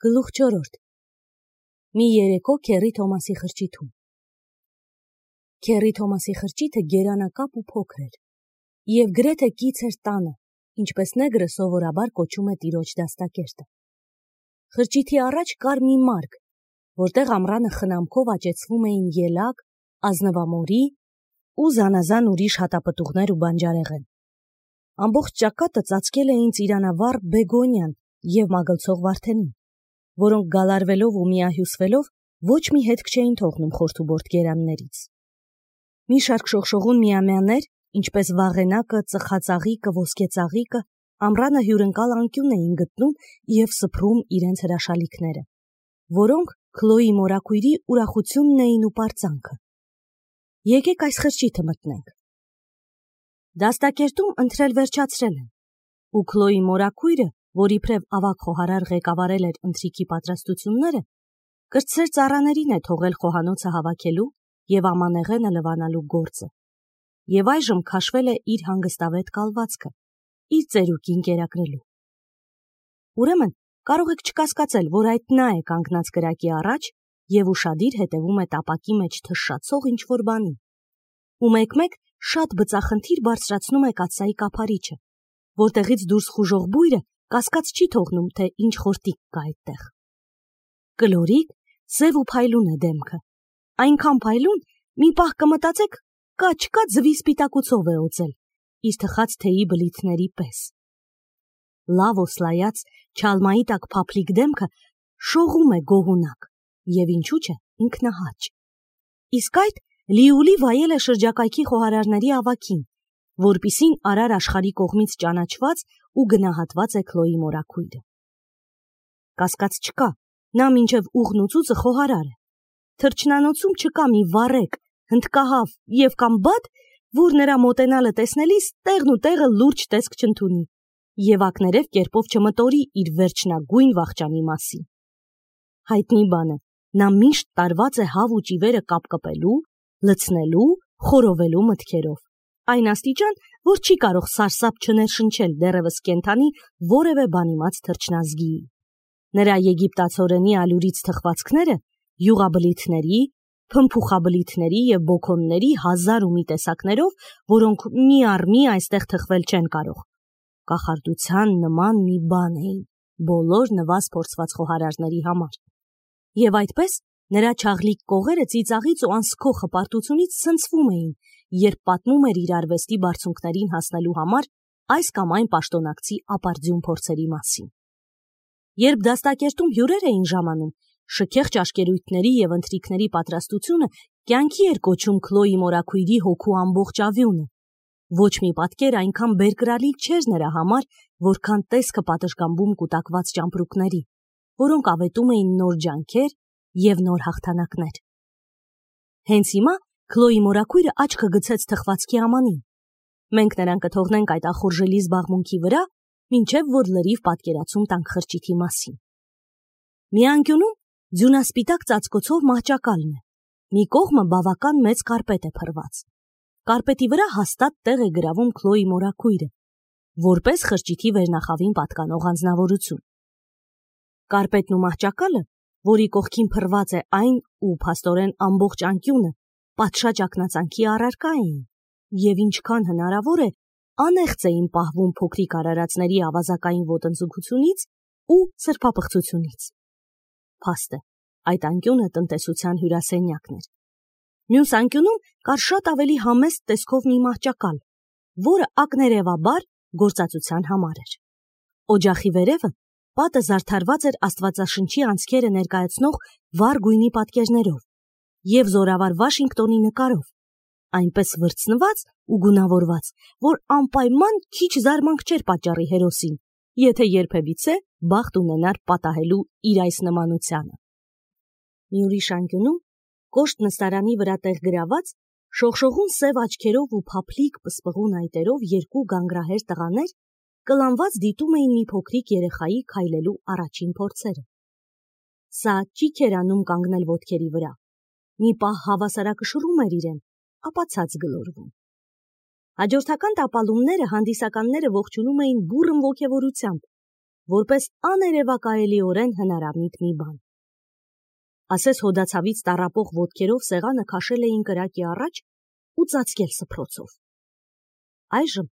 Գլուխ 4. Մի երեկո Քերի Թոմասի խրճիթում։ Քերի Թոմասի խրճիթը գերանակապ ու փոքր էր, և գրեթե կից էր տանը, ինչպես նեգրը սովորաբար կոչում է տիրոջ դաստակերտը։ Խրճիթի առաջ կար մի մարկ, որտեղ ամռանը խնամքով աճեցվում էին ելակ, ազնվամորի ու զանազան ուրիշ հատապտուղներ ու բանջարեղեն։ Ամբողջ ճակատը ծածկել էին ծիրանավառ բեգոնիան և մագլցող վարդենին, որոնք գալարվելով ու միահյուսվելով ոչ մի հետք չէին թողնում խորթուբորտ գերաններից։ Մի շարք շողշողուն միամյաներ, ինչպես վաղենակը, ծխածաղիկը, ոսկեծաղիկը, ամռանը հյուրընկալ անկյուն էին գտնում և սփռում իրենց հրաշալիքները, որոնք Քլոյի մորաքույրի ուրախությունն էին ու պարծանքը։ Եկեք այս խրճիթը մտնենք։ Դաստակերտում ընթրել վերջացրել են, ու Քլոյի մորաքույրը, որ իբրև ավագ խոհարար ղեկավարել էր ընթրիքի պատրաստությունները, կրտսեր ծառաներին է թողել խոհանոցը հավաքելու և ամանեղենը լվանալու գործը, և այժմ քաշվել է իր հանգստավետ կալվածքը, իր ծերուկին կերակրելու։ Ուրեմն, կարող եք չկասկածել, որ այդ նա է կանգնած կրակի առաջ և ուշադիր հետևում է տապակի մեջ թշշացող ինչ-որ բանի, ու մեկ-մեկ շատ բծախնդիր բարձրացնում է կաթսայի կափարիչը, որտեղից դուրս խուժող բույրը կասկած չի թողնում, թե ինչ խորտիկ կա այդտեղ։ Կլորիկ, սև ու փայլուն է դեմքը, այնքան փայլուն, մի պահ կմտածեք, կա-չկա ձվի սպիտակուցով է օծել, իր թխած թեյի բլիթների պես։ Լավ օսլայած չալմայի տակ փափլիկ դեմքը շողում է գոհունակ և ինչու՞ չէ ինքնահաճ։ Իսկ այդ լիուլի վայել է շրջակայքի խոհարարների ավագին, որպիսին արար աշխարհի կողմից ճանաչված ու գնահատված է Քլոյի մորաքույրը։ Կասկած չկա, նա մինչև ուղն ու ծուծը խոհարար է։ Թրջնանոցում չկա մի վառեկ, հնդկահավ և կամ բադ, որ նրա մոտենալը տեսնելիս տեղն ու տեղը լուրջ տեսք չընդունի և ակներև կերպով չմտորի իր վերջնագույն վախճանի մասին։ Հայտնի բան է, նա միշտ տարված է հավ ու ճիվերը կապկպելու, լցնելու, խորովելու մտքերով, այն աստիճան, որ չի կարող սարսափ չներշնչել դեռևս կենդանի որևէ բանիմաց թրջնազգիի։ Նրա եգիպտացորենի ալյուրից թխվածքները յուղաբլիթների, փմփուխաբլիթների և բոքոնների հազար ու մի տեսակներով, որոնք մի առ մի այստեղ թխվել չեն կարող, կախարդության նման մի բան էին բոլոր նվազ-փորձված խոհարարների համար։ Եվ այդպես նրա չաղլիկ կողերը ծիծաղից ու անսքո հպարտությունից ցնցվում էին, երբ պատմում էր իր արվեստի բարձունքներին հասնելու համար այս կամ այն պաշտոնակցի ապարդյուն փորձերի մասին։ Երբ դաստակերտում հյուրեր էին ժամանում, շքեղ ճաշկերույթների և ընթրիքների պատրաստությունը կյանքի էր կոչում Քլոյի մորաքույրի հոգու ամբողջ ավյունը։ Ոչ մի պատկեր այնքան բերկրալիք չէր նրա համար, որքան տեսքը պատշգամբում կուտակված ճամպրուկների, որոնք ավետում էին նոր ջանքեր և նոր հաղթանակներ։ Հենց հիմա Քլոյի մորաքույրը աչքը գցեց թխվածքի ամանին։ Մենք նրան կթողնենք այդ ախորժելի զբաղմունքի վրա, մինչև որ լրիվ պատկերացում տանք խրճիթի մասին։ Մի անկյունում ձյունասպիտակ ծածկոցով մահճակալն է, մի կողմը բավական մեծ կարպետ է փռված։ Կարպետի վրա հաստատ տեղ է գրավում Քլոյի մորաքույրը, որպես խրճիթի վերնախավին պատկանող անձնավորություն։ Կարպետն ու մահճակալը, որի կողքին փռված է այն ու փաստորեն ամբողջ անկյունը, պատշաճ ակնածանքի առարկա էին, և ինչքան հնարավոր է, անեղծ էին պահվում փոքրիկ արարածների ավազակային ոտնձգությունից ու սրբապղծությունից։ Փաստ է, այդ անկյունը տնտեսության հյուրասենյակն էր։ Մյուս անկյունում կար շատ ավելի համեստ տեսքով մի մահճակալ, որը ակներևաբար գործածության համար էր։ Օջախի վերևը պատը զարդարված էր Աստվածաշնչի անցքերը ներկայացնող վառ գույնի պատկերներով և զորավար Վաշինգտոնի նկարով, այնպես վրձնված ու գունավորված, որ անպայման քիչ զարմանք չէր պատճառի հերոսին, եթե երբևիցե բախտ ունենար պատահելու իր այս նմանությանը։ Մի ուրիշ անկյունում, կոշտ նստարանի վրա տեղ գրաված, շողշողուն սև աչքերով ու փափլիկ պսպղուն այտերով երկու գանգրահեր տղաներ կլանված դիտում էին մի փոքրիկ երեխայի քայլելու առաջին փորձերը։ Սա ճիք էր անում կանգնել ոտքերի վրա, մի պահ հավասարակշռում էր իրեն, ապա ցած գլորվում։ Հաջորդական տապալումները հանդիսականները ողջունում էին բուռն ոգևորությամբ, որպես աներևակայելիորեն հնարամիտ մի բան։ Ասես հոդացավից տառապող ոտքերով սեղանը քաշել էին կրակի առաջ ու ծածկել սփռոցով։ Այժմ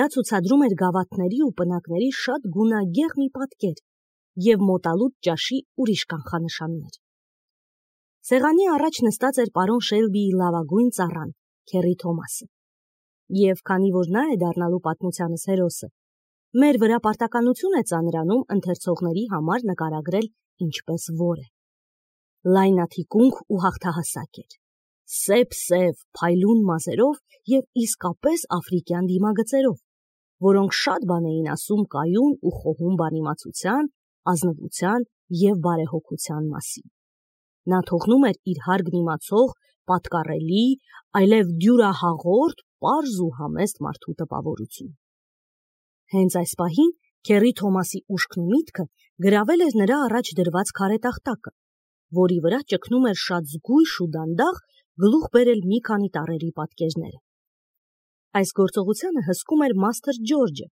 դա ցուցադրում էր գավաթների ու պնակների շատ գունագեղ մի պատկեր և մոտալուտ ճաշի ուրիշ կանխանշաններ։ Սեղանի առաջ նստած էր պարոն Շելբիի լավագույն ծառան, Քերի Թոմասը, և քանի որ նա է դառնալու պատմությանս հերոսը, մեր վրա պարտականություն է ծանրանում ընթերցողների համար նկարագրել ինչպես որ է։ Լայնաթիկունք ու հաղթահասակ էր, սև փայլուն մազերով և իսկապես աֆրիկյան դիմագծերով, որոնք շատ բան էին ասում կայուն ու խոհում բանիմացության, ազնվության և բարեհոգության մասին։ Նա թողնում էր իր հարգն իմացող, պատկառելի, այլև դյուրահաղորդ, պարզ ու համեստ մարդու տպավորություն։ Հենց այս պահին Քերի Թոմասի ուշքն ու միտքը գրավել էր նրա առաջ դրված քարե տախտակը, որի վրա ճգնում էր շատ զգույշ ու դանդաղ գլուխ բերել մի քանի տառերի պատկերները։ Այս գործողությանը հսկում էր Մաստր Ջորջը,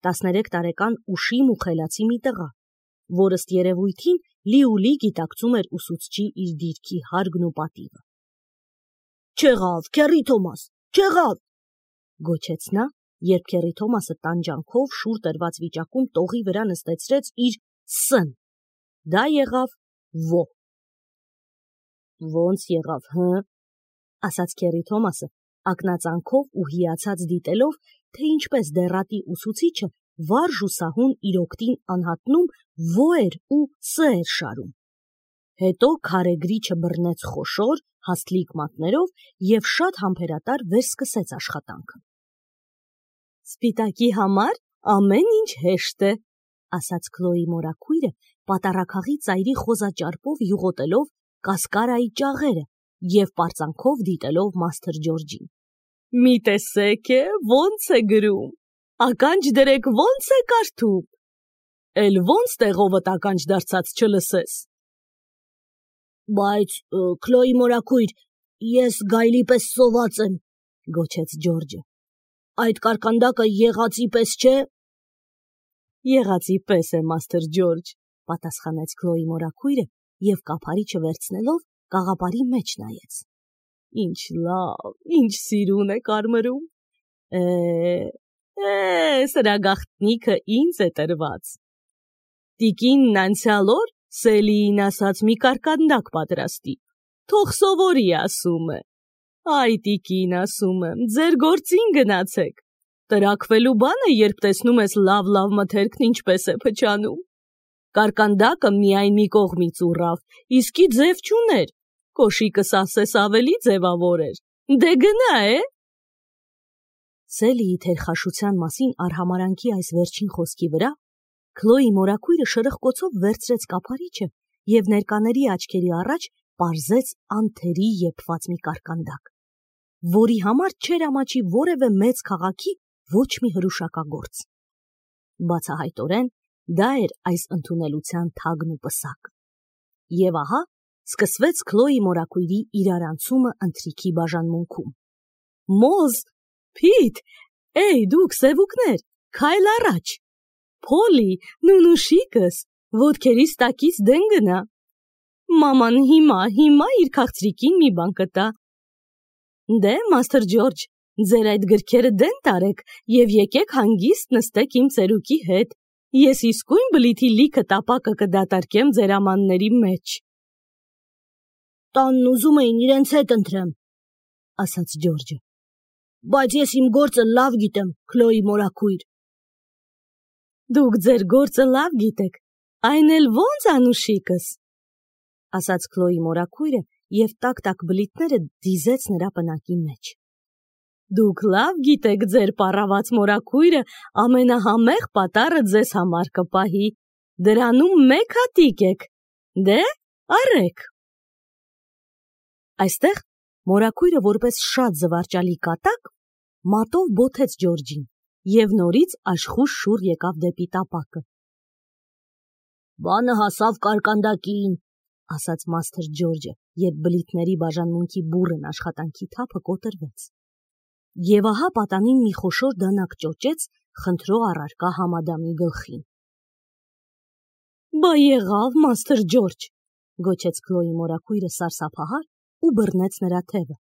13 տարեկան ուշիմ ու խելացի մի տղա, որ ըստ երևույթին լիուլի գիտակցում էր ուսուցչի իր դիրքի հարգն ու պատիվը։ «Չեղավ, Քերի Թոմաս, չեղավ», գոչեց նա, երբ Քերի Թոմասը տանջանքով շուռ տրված վիճակում տողի վրա նստեցրեց իր Ս-ն։ Դա եղավ Ո։ «Ոնց եղավ, հը», ասաց Քերի Թոմասը, ակնածանքով ու հիացած դիտելով, թե ինչպես դեռատի ուսուցիչը վարժ ու սահուն իր օգտին անհատնում Ո-էր ու Ս-էր շարում։ Հետո քարեգրիչը բռնեց խոշոր, հաստլիկ մատներով և շատ համբերատար վերսկսեց աշխատանքը։ «Սպիտակի համար ամեն ինչ հեշտ է», ասաց Քլոյի մորաքույրը, պատառաքաղի ծայրի խոզաճարպով յուղոտելով կասկարայի ճաղերը և պարծանքով դիտելով Մաստր Ջորջին։ «Մի տեսեք ոնց է գրում, ականջ դրեք ոնց է կարդում, էլ ոնց տեղովդ ականջ դարձած չլսես»։ «Բայց, Քլոյի մորաքույր, ես գայլի պես սոված եմ», գոչեց Ջորջը։ «Այդ կարկանդակը եղածի պես չէ»։ «Եղածի պես է, Մաստր Ջորջ», պատասխանեց Քլոյի մորաքույրը և կափարիչը վերցնելով կաղապարի մեջ նայեց։ «Ինչ լավ, ինչ սիրուն է կարմրում։ Սրա գաղտնիքը ինձ է տրված։ Տիկինն անցյալ օր Սելիին ասաց մի կարկանդակ պատրաստի, թող սովորի, ասում է։ Այ տիկին, ասում եմ, ձեր գործին գնացեք։ Տրաքվելու բան է, երբ տեսնում ես լավ մթերքն ինչպես է փչանում։ Կարկանդակը միայն մի կողմից ուռավ, իսկի ձև չուներ, կոշիկս ասես ավելի ձևավոր էր։ Դե գնա, Սելիի թերխաշության մասին արհամարանքի այս վերջին խոսքի վրա Քլոյի մորաքույրը շրխկոցով վերցրեց կափարիչը և ներկաների աչքերի առաջ պարզեց անթերի եփված մի կարկանդակ, որի համար չէր ամաչի որևէ մեծ քաղաքի ոչ մի հրուշակագործ։ Բացահայտորեն դա էր այս ընդունելության թագն ու պսակը։ Եվ ահա սկսվեց Քլոյի մորաքույրի իրարանցումը ընթրիքի բաժանմունքում։ «Մոզ, Փիթ, դուք սևուկներ, քայլ առաջ, Փոլի, նունուշիկս, ոտքերիս տակից դեն գնա։ Մաման հիմա իր քաղցրիկին մի բան կտա։ Դե, Մաստր Ջորջ, ձեր այդ գրքերը դեն տարեք և եկեք հանգիստ նստեք իմ ծերուկի հետ, ես իսկույն բլիթի լիքը տապակը կդատարկեմ ձեր ամանների մեջ»։ «Տանն ուզում էին իրենց հետ ընտրեմ», ասաց Ջորջը, «բայց ես իմ գործը լավ գիտեմ, Քլոյի մորաքույր»։ «Դուք ձեր գործը լավ գիտեք, այն էլ ոնց, անուշիկս», ասաց Քլոյի մորաքույրը և տակ-տակ բլիթները դիզեց նրա պնակի մեջ։ «Դուք լավ գիտեք, ձեր պառաված մորաքույրը ամենահամեղ պատառը ձեզ համար կպահի, դրանում մեկ հատիկ եք, դե առեք»։ Այստեղ մորաքույրը որպես շատ զվարճալի կատակ մատով բոթեց Ջորջին և նորից աշխույժ շուռ եկավ դեպի տապակը։ «Բանը հասավ կարկանդակին», ասաց Մաստր Ջորջը, երբ բլիթների բաժանմունքի բուռն աշխատանքի թափը կոտրվեց։ Եվ ահա պատանին մի խոշոր դանակ ճոճեց խնդրող առարկա Համադամի գլխին։ Բա եղավ, Մաստր Ջորջ, գոչեց Քլոյի մորաքույրը սարսափահար ու բռնեց նրա թևը։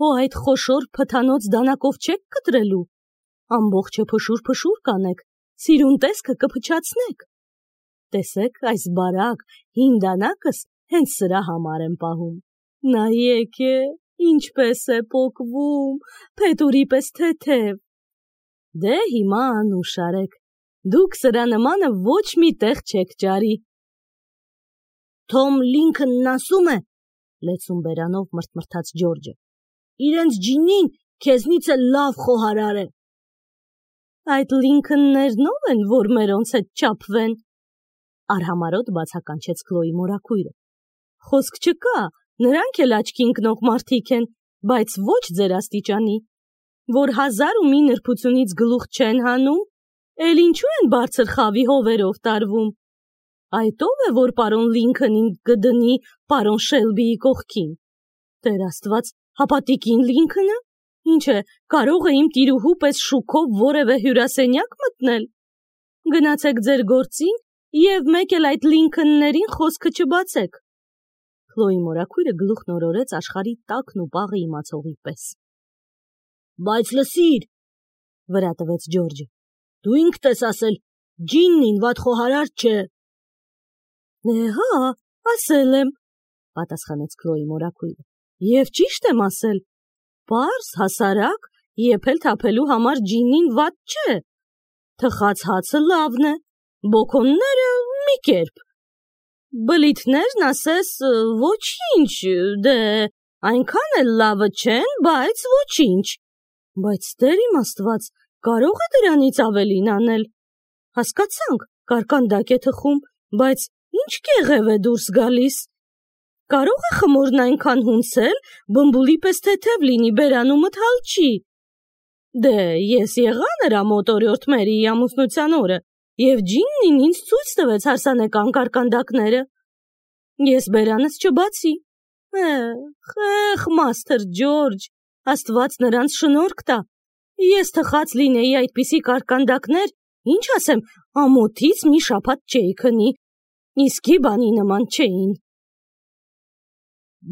Հո այդ խոշոր փթանոց դանակով չեք կտրելու, ամբողջը փշուր կանեք, սիրուն տեսքը կփչացնեք։ Տեսեք, այս բարակ, հին դանակս հենց սրա համար եմ պահում։ Նայեք է, ինչպես է պոկվում, փետուրի պես թեթև։ Դե հիմա անուշ արեք, դուք սրա նմանը ոչ մի տեղ չեք ճարի։ Թոմ Լինքնն ասում է, լեցուն բերանով մրթմրթաց Ջորջը, իրենց ջինին քեզնից էլ լավ խոհարար է։ Այդ Լինքններն ով են, որ մերոնց հետ չափվեն, արհամարոտ բացականչեց Քլոյի մորաքույրը։ Խոսք չկա, նրանք էլ աչքի ընկնող մարդիկ են, բայց ոչ ձեր աստիճանի, որ 1001 նրբությունից գլուխ չեն հանում, էլ ինչու են բարձր խավի հովերով տարվում։ Այդ ով է, որ պարոն Լինքնին կդնի պարոն Շելբիի կողքին։ Տեր Աստված, հապատիկին Լինքնը, ինչ է, կարող է իմ տիրուհու պես շուքով որևէ հյուրասենյակ մտնել։ Գնացեք ձեր գործին և մեկ էլ այդ Լինքններին խոսքը չբացեք։ Քլոյի մորաքույրը գլուխն օրորեց աշխարհի տակն ու պաղը իմացողի պես։ Բայց լսիր, վրա տվեց Ջորջը, դու ինքդ ես ասել, ջիննին վատ խոհարար չէ։ Հա, ասել եմ, պատասխանեց Քլոյի մորաքույրը, և ճիշտ եմ ասել, պարզ, հասարակ, եփել թափելու համար ջինին վատ չէ, թխած հացը լավն է, բոքոնները մի կերպ, բլիթներն ասես ոչինչ, դե այնքան էլ լավը չեն, բայց ոչինչ, բայց Տեր իմ Աստված, կարող է դրանից ավելին անել, հասկացանք, կարկանդակ է թխում, բայց ինչ կեղև է դուրս գալիս, կարող է խմորն այնքան հունցել, բմբուլի պես թեթև լինի, բերանումը թալչի։ Դե ես եղա նրա մոտ օրիորդ Մերիի ամուսնության օրը, և ջիննին ինձ ցույց տվեց հարսանեկան կարկանդակները։ Ես բերանս չբացի։ Խեղ, Մաստր Ջորջ, Աստված նրանց շնորհք տա։ Ես թխած լինեի այդպիսի կարկանդակներ, ինչ ասեմ, ամոթից մի շաբաթ չէի քնի, իսկի բանի նման չէին։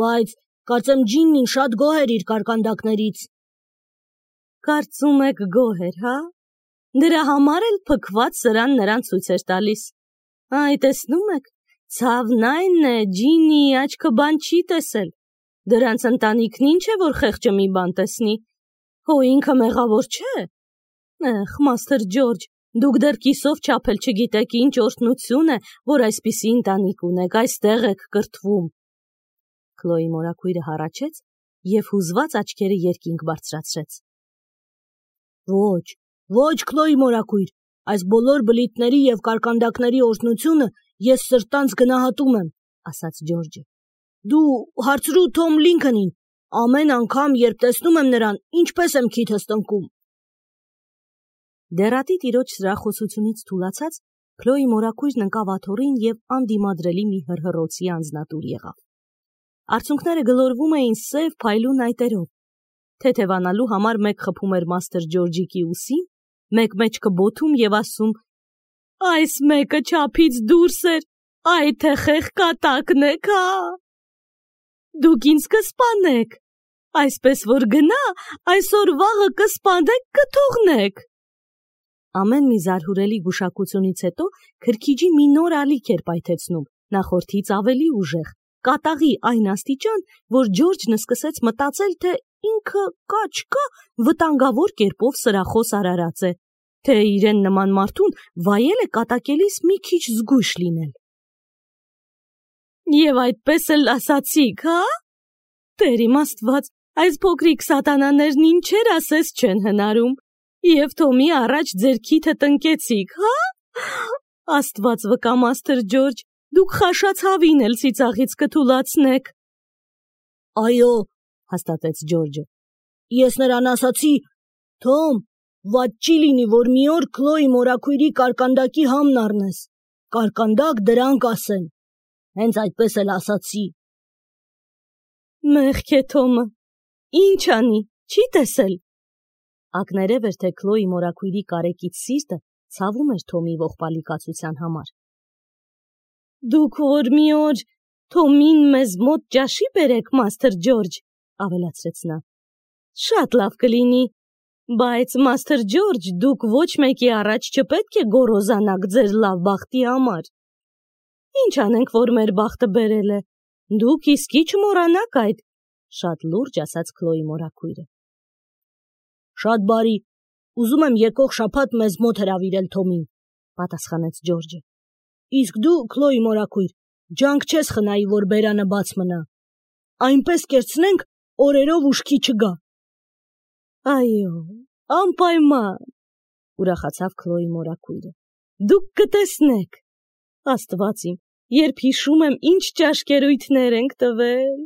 Բայց կարծեմ ջիննին շատ գոհ էր իր կարկանդակներից։ Կարծում եք գոհ էր, հա? Դրա համար էլ փքված սրան նրան ցույց էր տալիս։ Այ տեսնում եք, ցավն այն է, ջիննի աչքը բան չի տեսել։ Դրանց ընտանիքն ինչ է, որ խեղճը մի բան տեսնի։ Հո ինքը մեղավոր չէ։ Մաստր Ջորջ, դուք դեռ կիսով չափել չգիտեք ինչ օրհնություն է, որ այսպիսի ընտանիք ունեք, այստեղ եք կրթվում։ Քլոյի մորաքույրը հառաչեց և հուզված աչքերը երկինք բարձրացրեց։ Ոչ, Քլոյի մորաքույր, այս բոլոր բլիթների և կարկանդակների օրհնությունը ես սրտանց գնահատում եմ, ասաց Ջորջը։ Դու հարցրու Թոմ Լինքնին, ամեն անգամ, երբ տեսնում եմ նրան, ինչպես եմ քիթս տնկում։ Դեռատի տիրոջ սրախոսությունից թուլացած, Քլոյի մորաքույրն ընկավ աթոռին և անդիմադրելի մի հռհռոցի անձնատուր եղավ։ Արցունքները գլորվում էին սև փայլուն այտերով։ Թեթևանալու համար մեկ խփում էր Մաստր Ջորջիկի ուսին, մեկ մեջքը բոթում և ասում. Այս մեկը չափից դուրս էր, այ թե խեղ կատակն եք, հա։ Դուք ինձ կսպանեք, այսպես որ գնա, այսօր վաղը կսպանեք, կթողնեք։ Ամեն մի զարհուրելի գուշակությունից հետո քրքիջի մի նոր ալիք էր պայթեցնում, նախորդից ավելի ուժեղ, կատաղի այն աստիճան, որ Ջորջն սկսեց մտածել, թե ինքը կա վտանգավոր կերպով սրախոս արարած է, թե իրեն նման մարդուն վայել է կատակելիս մի քիչ զգույշ լինել։ Եվ այդպես էլ ասացիք, հա? Տեր իմ Աստված, այս փոքրիկ սատանաներն ինչեր ասես չեն հնարում, և Թոմի առաջ ձեր քիթը տնկեցիք, հա? Աստված վկա, Մաստր Ջորջ, դուք խաշացավին էլ ծիծաղից կթուլացնեք։ Այո, հաստատեց Ջորջը, ես նրան ասացի, Թոմ, վատ չի լինի, որ մի օր Քլոյի մորաքույրի կարկանդակի համն առնես, կարկանդակ դրանք ասեն, հենց այդպես էլ ասացի։ Մեղք է Թոմը, ինչ անի, չի տեսել։ Ակներև էր, թե Քլոյի մորաքույրի կարեկից սիրտը ցավում էր Թոմի ողբալի կացության համար։ Դուք որ մի օր Թոմին մեզ մոտ ճաշի բերեք, Մաստր Ջորջ, ավելացրեց նա։ Շատ լավ կլինի, բայց Մաստր Ջորջ, դուք ոչ մեկի առաջ չպետք է գոռոզանաք ձեր լավ բախտի համար։ Ինչ անենք, որ մեր բախտը բերել է։ Դուք իսկի չմոռանաք այդ, շատ լուրջ ասաց Քլոյի մորաքույրը։ Շատ բարի, ուզում եմ եկող շաբաթ մեզ մոտ հրավիրել Թոմին, պատասխանեց Ջորջը։ Իսկ դու, Քլոյի մորաքույր, ջանք չես խնայի, որ բերանը բաց մնա։ Այնպես կերցնենք, օրերով ուշքի չգա։ Այո, անպայման, ուրախացավ Քլոյի մորաքույրը։ Դուք կտեսնեք։ Աստված իմ, երբ հիշում եմ, ինչ ճաշկերույթներ ենք տվել։